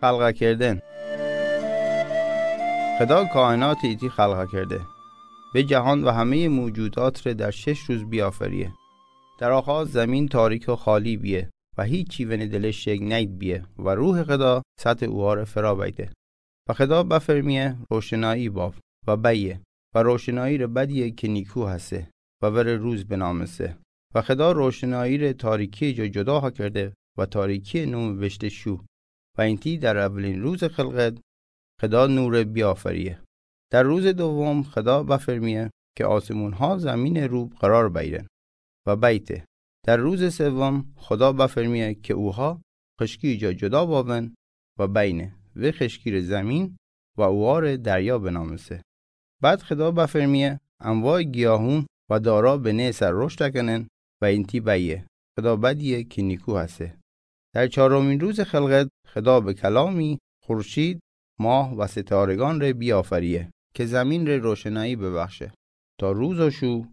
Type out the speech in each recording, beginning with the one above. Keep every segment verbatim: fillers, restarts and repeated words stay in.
خلق کردن. خدا کائنات ایتی خلق کرده. به جهان و همهٔ موجودات ره در شش روز بیافریه. در آغاز زمین تاریک و خالی بیه و هیچی ونه دلش شکل نید بیه و روح خدا سطح اوها ره فرا بیده. و خدا بفرمیه روشنایی باب و بیه و روشنایی ره بدیه که نیکو هسه و وره روز بنامسه. و خدا روشنایی ره تاریکی جا جدا ها کرده و تاریکی نوم بشته شو. و اینتی در اولین روز خلقت خدا نور بیافریه. در روز دوم خدا بفرمیه که آسمون ها زمین رو قرار بیرن و بیته. در روز سوم خدا بفرمیه که اوها خشکی جا جدا باون و بینه و خشکی ره زمین و اوها ره دریا بنامسه. بعد خدا بفرمیه انواع گیاهون و دارا به نه سر رشد کنن و اینتی بیه. خدا بدیه که نیکو هسه. در چهارمین روز خلقت خدا به کلامی خورشید، ماه و ستارگان ره بیافریه که زمین ره روشنایی ببخشه تا روز و شو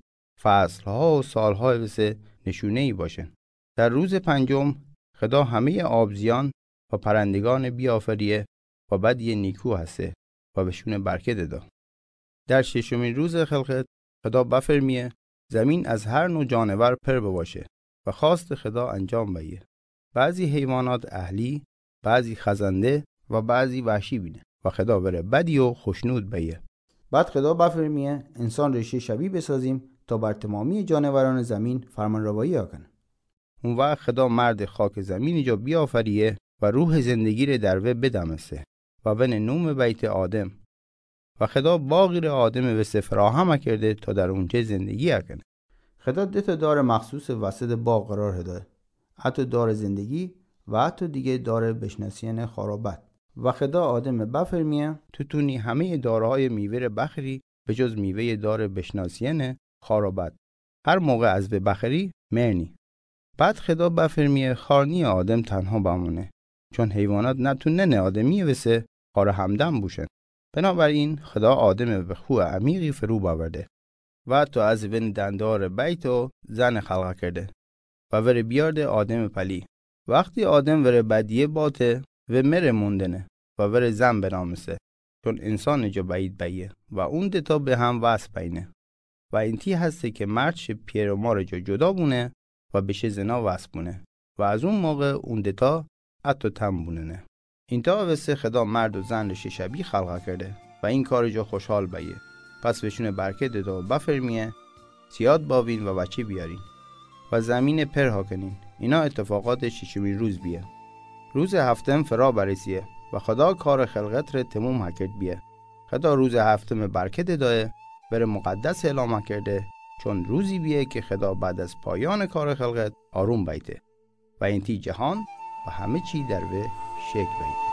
فصل‌ها و سال‌ها وسه نشونه‌ای باشن. در روز پنجم خدا همهٔ آبزیان و پرندگان بیافریه و بدیه نیکو هسه و بهشون برکت دا. در ششمین روز خلقت خدا بفرمیه زمین از هر نوع جانور پر بباشه و خواست خدا انجام بیه. بعضی حیوانات اهلی، بعضی خزنده و بعضی وحشی بینه و خدا وره بدی و خشنود بیه. بعد خدا بفرمیه انسان ریشه شبی بسازیم تا بر تمامی جانوران زمین فرمانروایی ها کنه. اون وقت خدا مرد خاک زمین جا بیافریه و روح زندگی ره در وه بدمسه و ونه نوم بیته آدم. و خدا باغی ره آدم وسه فراهم کرده تا در اونجه زندگی کنه. خدا ده تا دار مخصوص وسط باغ قرار هده. حتی دار زندگی و حتی دیگه دار بشناسین خار و بد. و خدا آدم بفرمیه تو تونی همهٔ دارهای میوه ره بخری به جز میوهٔ دار بشناسین خار و بد. هر موقع از وه بخری مرنی. بعد خدا بفرمیه خار نیه آدم تنها بمونه، چون حیوانات نتوننه آدمی وسه خار همدم بوشن. بنابراین خدا آدم به خوه عمیقی فرو باورده و حتی از ون دندار بیت و زن خلق کرده و وره بیارده آدم پلی. وقتی آدم وره بدیه باته و مره موندنه و وره زن بنامسه، چون انسان جا بعید بیه و اون دتا به هم وصل بینه. و اینتی هسته که مرد شه پیر و مار جا جدا بونه و بشه زنا وصل بونه و از اون موقع اون دتا اتو تن بوننه. اینتا وسه خدا مرد و زن شه شبی خلق کرده و این کار جا خوشحال بیه. پس بهشون برکت دتا و بفرمیه زیاد باوین و بچه بیارین و زمین پر ها کنین. اینا اتفاقات ششمین روز بیه. روز هفتم فرا برسیه و خدا کار خلقت ره تموم ها کرد بیه. خدا روز هفتم برکت دایه، وره مقدس اعلام کرده، چون روزی بیه که خدا بعد از پایان کار خلقت آروم بیته و اینتی جهان و همه چی در وه شکل بیته.